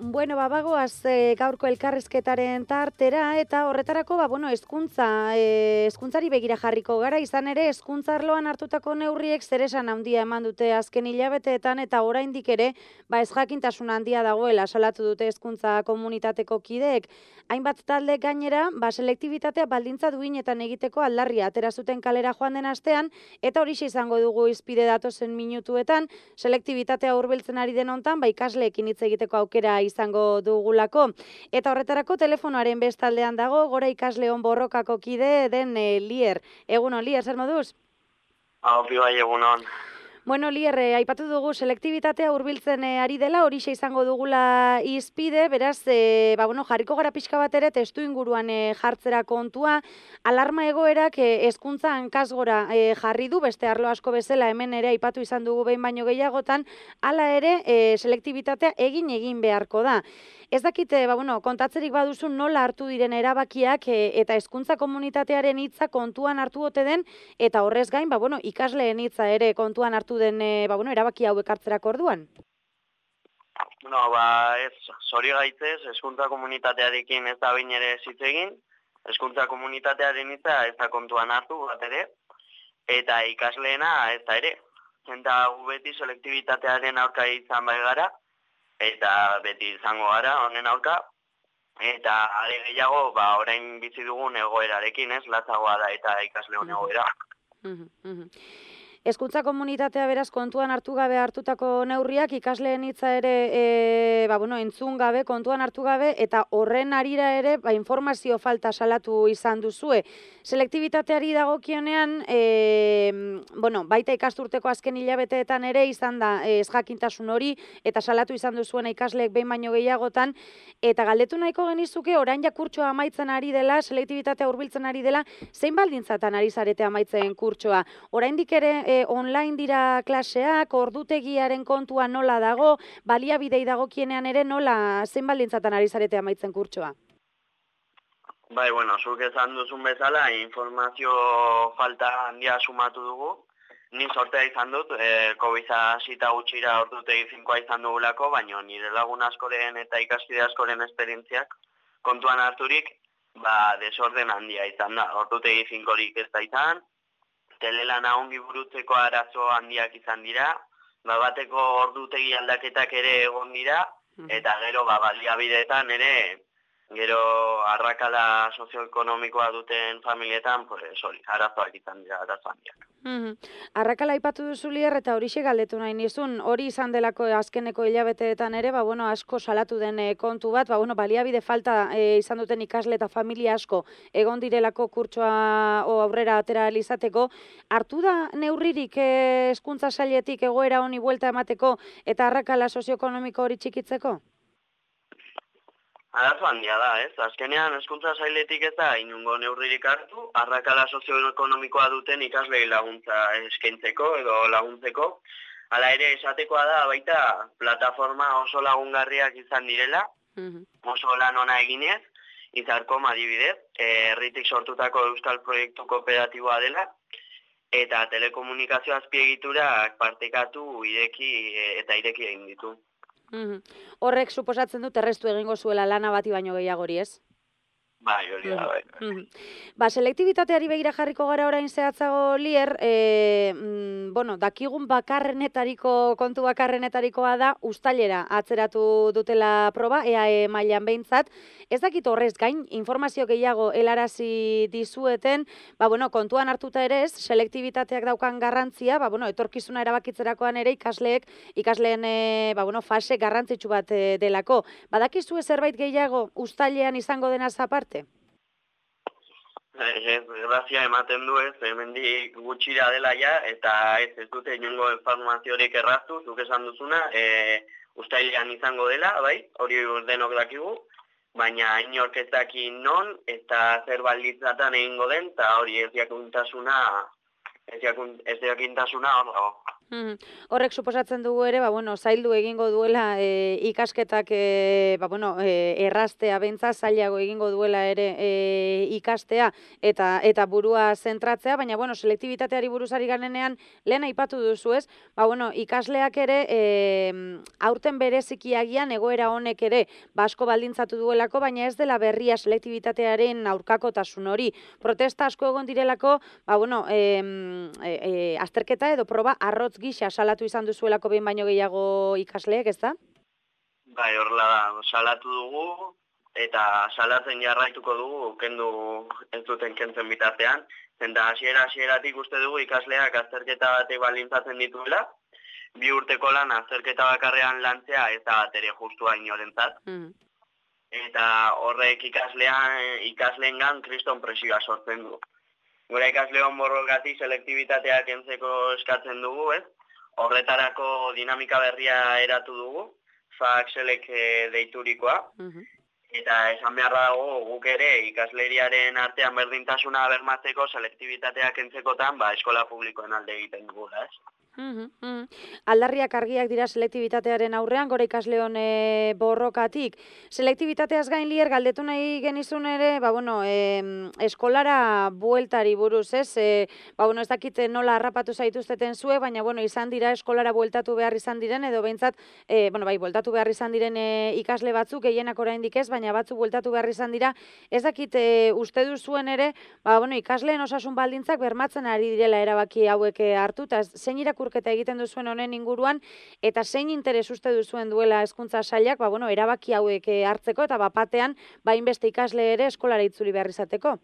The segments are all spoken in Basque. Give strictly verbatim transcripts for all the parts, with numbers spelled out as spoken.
Bueno, ba, bagoaz e, gaurko elkarrizketaren tartera, eta horretarako, ba, bueno, hezkuntza, e, hezkuntzari begira jarriko gara, izan ere, hezkuntza arloan hartutako neurriek zeresan handia eman dute azken hilabeteetan, eta oraindik ere, ba, ez jakintasun handia dagoela salatu dute hezkuntza komunitateko kideek. Hainbat talde gainera, ba, selektibitatea baldintza duinetan egiteko aldarria atera zuten kalera joan den astean, eta horixe izango dugu izpide datozen minutuetan, selektibitatea hurbiltzen ari den hontan, ba, ikasleekin hitz egiteko aukera izango dugulako. Eta horretarako telefonoaren bestaldean dago, Gora Ikasleon Borrokako kide den e, Lier. Egunon, Lier, zer moduz? Haupi bai, egunon. Bueno, Lier, eh, aipatu dugu selektibitatea hurbiltzen eh, ari dela, horixe izango dugula izpide, beraz, eh, ba, bueno, jarriko gara pixka bat ere testu inguruan eh, jartzera kontua, alarma egoerak eh, hezkuntza hankasgora eh, jarri du, beste arlo asko bezala hemen ere aipatu izan dugu behin baino gehiagotan, hala ere eh, selektibitatea egin egin beharko da. Ez dakite, ba, bueno, kontatzerik baduzu nola hartu diren erabakiak e, eta hezkuntza komunitatearen hitza kontuan hartu ote den, eta horrez gain, ba, bueno, ikasleen hitza ere kontuan hartu den e, ba, bueno, erabaki hauek hartzerako orduan. Bueno, ba, ez, zori gaitzez, hezkuntza komunitatearekin ez da bain ere hitz egin, hezkuntza komunitatearen hitza ez da kontuan hartu bat ere, eta ikasleena ez da ere. Eta gu beti selektibitatearen aurka izan bai gara, eta beti izango gara honen aurka, eta are gehiago, ba, orain bizi dugun egoerarekin, ez, latzagoa da eta ikasleon egoera. Hezkuntza komunitatea beraz kontuan hartu gabe hartutako neurriak, ikasleen hitza ere e, ba, bueno, entzun gabe, kontuan hartu gabe, eta horren arira ere ba, informazio falta salatu izan duzue. Selektibitateari dagokionean, e, bueno, baita ikasturteko azken hilabeteetan ere izan da ez jakintasun hori, eta salatu izan duzuena ikasleek behin baino gehiagotan, eta galdetu nahiko genizuke, orain ja kurtsoa amaitzen ari dela, selektibitatea hurbiltzen ari dela, zein baldintzatan ari zarete amaitzen kurtsoa? Oraindik ere e, online dira klaseak, ordutegiaren kontua nola dago, baliabidei dagokienean ere nola zein baldintzatan ari zarete amaitzen kurtsoa? Bai, bueno, zuk esan duzun bezala, informazio falta handia sumatu dugu. Ni sortea izan dut, e, COVID hasita gutxira ordutegi finkoa izan dugulako, baina nire lagun askoren eta ikaskide askoren esperientziak kontuan harturik, ba, desorden handia izan da. Ordutegi finkorik ez da izan, telelana ongi burutzeko arazo handiak izan dira, ba, bateko ordutegi aldaketak ere egon dira, eta gero ba, baliabideetan ere, gero arrakala sozioekonomikoa duten familietan, pues, hori, arazoak izan dira, arazo handiak. Mm-hmm. Arrakala aipatu duzu Lier, eta horixe galdetu nahi nizun, hori izan delako azkeneko hilabeteetan ere, ba, bueno, asko salatu den e, kontu bat, ba, bueno, baliabide falta e, izan duten ikasle eta familia asko egon direlako kurtsoa o aurrera atera izateko, hartu da neurririk e, hezkuntza sailetik egoera honi buelta emateko eta arrakala sozioekonomiko hori txikitzeko? Arazo handia da, ez? Azkenean hezkuntza sailetik ez da inungo neurririk hartu, arrakala sozioekonomikoa duten ikaslei laguntza eskaintzeko edo laguntzeko. Hala ere esatekoa da baita plataforma oso lagungarriak izan direla, oso lan ona eginez, Izarkom adibidez, herritik sortutako euskal proiektu kooperatiboa dela, eta telekomunikazio azpiegiturak partekatu ireki eta ireki egin ditu. Horrek suposatzen dut errestu egingo zuela lana bati baino gehiagori, ez? Bai, hori da, bai. Ba, selektibitateari begira jarriko gara orain zehatzago Lier, e, mm, bueno, dakigun bakarrenetariko, kontu bakarrenetarikoa da, uztailera atzeratu dutela proba, E A E mailan behintzat. Ez dakit horrez gain, informazio gehiago helarazi dizueten, ba, bueno, kontuan hartuta ere ez, selektibitateak daukan garrantzia, ba, bueno, etorkizuna erabakitzerakoan ere ikasleek, ikasleen, e, ba, bueno, fase garrantzitsu bat e, delako. Badakizue zerbait gehiago uztailean izango denaz aparte? Ez, grazia ematen du ez, hemendik gutxira dela ja, eta ez ez dute inongo informaziorik erraztu, zuk esan duzuna, e, uztailean izango dela, bai, hori denok dakigu, baina inork ez daki non, eta zer baldintzatan egingo den, eta hori ez jakintasuna, ez jakintasuna hor dago. Mhm. Horrek suposatzen dugu ere, ba, bueno, zaildu egingo duela e, ikasketak e, ba, bueno, e, erraztea bentza, zailago egingo duela ere e, ikastea eta eta burua zentratzea, baina bueno, selektibitateari buruzari garenean lehen aipatu duzu, ez? Ba, bueno, ikasleak ere e, aurten bereziki agian egoera honek ere basko baldintzatu duelako, baina ez dela berria selektibitatearen aurkakotasun hori. Protesta asko egon direlako, ba, bueno, e, e, e, azterketa edo proba arrotz gisa salatu izan duzuelako behin baino gehiago ikasleek, ez da? Bai, horrela da, salatu dugu, eta salatzen jarraituko dugu, kendu ez duten kentzen bitartean, eta hasiera hasieratik uste dugu ikasleak azterketa batek baldintzatzen dituela, bi urteko lan azterketa bakarrean lantzea ez da bat ere justua inorentzat. Mm. Eta horrek ikaslean, ikasleengan kriston presioa sortzen du. Gure ikasleon borrokatik selektibitatea kentzeko eskatzen dugu, ez? Horretarako dinamika berria eratu dugu, fakselek deiturikoa, uh-huh. Eta esan beharra dago guk ere ikasleriaren artean berdintasuna bermatzeko selektibitatea kentzekotan ba, eskola publikoen alde egiten dugu, ez? Uhum, uhum. Aldarriak argiak dira selektibitatearen aurrean, gora ikasleon e, borrokatik. Selektibitateaz gain lier galdetu nahi genizun ere, ba, bueno, e, eskolara bueltari buruz, ez? E, ba, bueno, ez dakit nola harrapatu zaituzteten zue, baina bueno, izan dira eskolara bueltatu behar izan diren, edo behintzat, e, bueno, bai, bueltatu behar izan diren e, ikasle batzuk, gehienak oraindik ez, baina batzuk bueltatu behar izan dira, ez dakit e, uste duzuen ere, ba, bueno, ikasleen osasun baldintzak bermatzen ari direla erabaki hauek hartu, eta zein irakurketa egiten duzuen honen inguruan, eta zein interes uste duzuen duela hezkuntza sailak, ba, bueno, erabaki hauek hartzeko, eta bapatean, ba, inbeste ikasle ere eskolara itzuli behar izateko.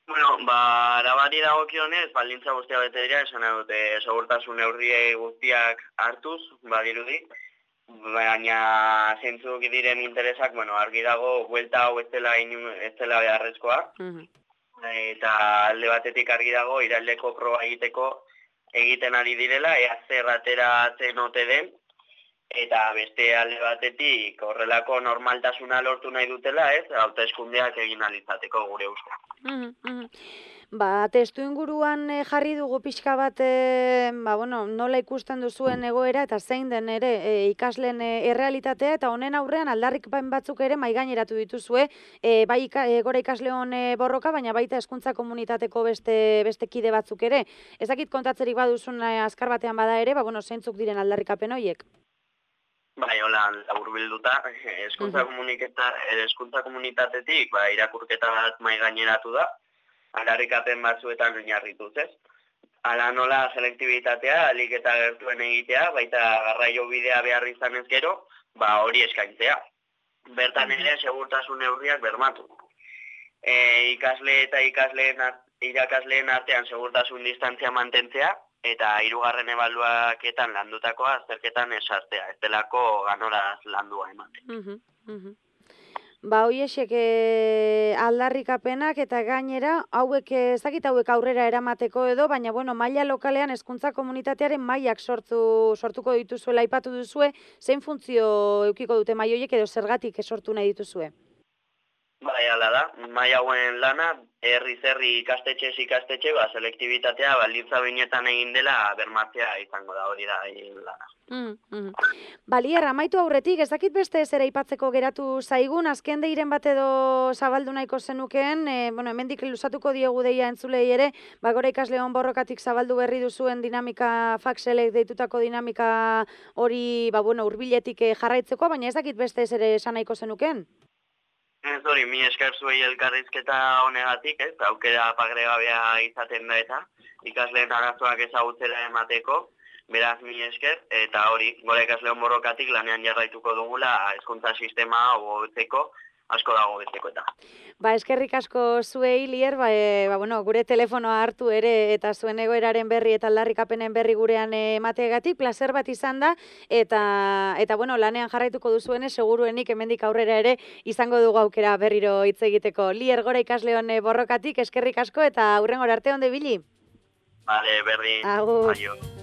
Bueno, ba, arabari dagokionez, baldintza guztia bete dira, esan dute segurtasun neurriei guztiak hartuz, badirudi, baina zentzuk diren interesak, bueno, argi dago, buelta hau ez dela, ez dela beharrezkoa, uh-huh. Eta alde batetik argi dago, iraldeko proba egiteko egiten ari direla, ea zer ateratzen ote den, eta beste alde batetik horrelako normaltasuna lortu nahi dutela, ez, hauteskundeak egin alizateko gure uste. Mm -hmm. Ba, testu inguruan e, jarri dugu pixka bat, e, ba, bueno, nola ikusten duzuen egoera eta zein den ere e, ikasleen e, errealitatea, eta honen aurrean aldarrik batzuk ere maigaineratu dituzue, e, bai e, gora ikasleon e, borroka, baina baita hezkuntza komunitateko beste, beste kide batzuk ere. Ez dakit kontatzerik baduzun e, azkar batean bada ere, ba, bueno, zeintzuk diren aldarrikapen horiek? Bai, hola, laburbilduta, hezkuntza uh-huh. komunitatetik, ba, irakurketa bat maigaineratu da, aldarrikapen batzuetan oinarrituz, ez? Hala nola selektibitatea, alik eta gertuen egitea, baita garraio bidea behar izan ez gero, ba hori eskaintzea. Bertan ere segurtasun neurriak bermatu. E, ikasle eta ikasleen irakasleen artean segurtasun distantzia mantentzea, eta hirugarren ebaluaketan landutakoa azterketan esartea, ez delako ganoraz landua ematen. Uh-huh, uh-huh. Ba, hoiesek e, aldarrikapenak eta gainera, hauek ezakit hauek aurrera eramateko edo, baina bueno, maila lokalean hezkuntza komunitatearen mailak sortu sortuko dituzuela aipatu duzue, zein funtzio edukiko dute maila hoiek edo zergatik sortu nahi dituzue? Bai, hala da, maila hauen lana, herriz herri ikastetxez ikastetxe, ba, selektibitatea baldintza behinetan egin dela bermatzea izango da, hori da lana. Mm, mm. Balier, amaitu aurretik, ez dakit beste ez ere aipatzeko geratu zaigun, azken deiren bat edo zabaldu nahiko zenukeen, e, bueno, hemendik luzatuko diogu deia entzulei ere, ba, gora ikasleon borrokatik zabaldu berri duzuen dinamika, fakselek deitutako dinamika hori, ba, bueno, hurbiletik jarraitzeko, baina ez dakit beste ez ere esan nahiko zenukeen? Ez hori, mi esker zuei elkarrizketa honegatik, ez, aukera pagregabea izaten da eta ikasleen arazoak ezagutzera emateko, beraz mi esker, eta hori, gora ikasleon borrokatik lanean jarraituko dugula hezkuntza sistema hobetzeko, asko dago betzeko eta. Ba, eskerrik asko zuei, Lier, ba, e, ba, bueno, gure telefonoa hartu ere eta zuen egoeraren berri eta aldarrikapenen berri gurean emateagatik, placer bat izan da, eta, eta bueno, lanean jarraituko duzuenez, seguruenik hemendik aurrera ere izango dugu aukera berriro hitz egiteko. Lier, gora ikasleon borrokatik, eskerrik asko eta aurrengora arte onde bili. Vale, berdin. Agur. Aio.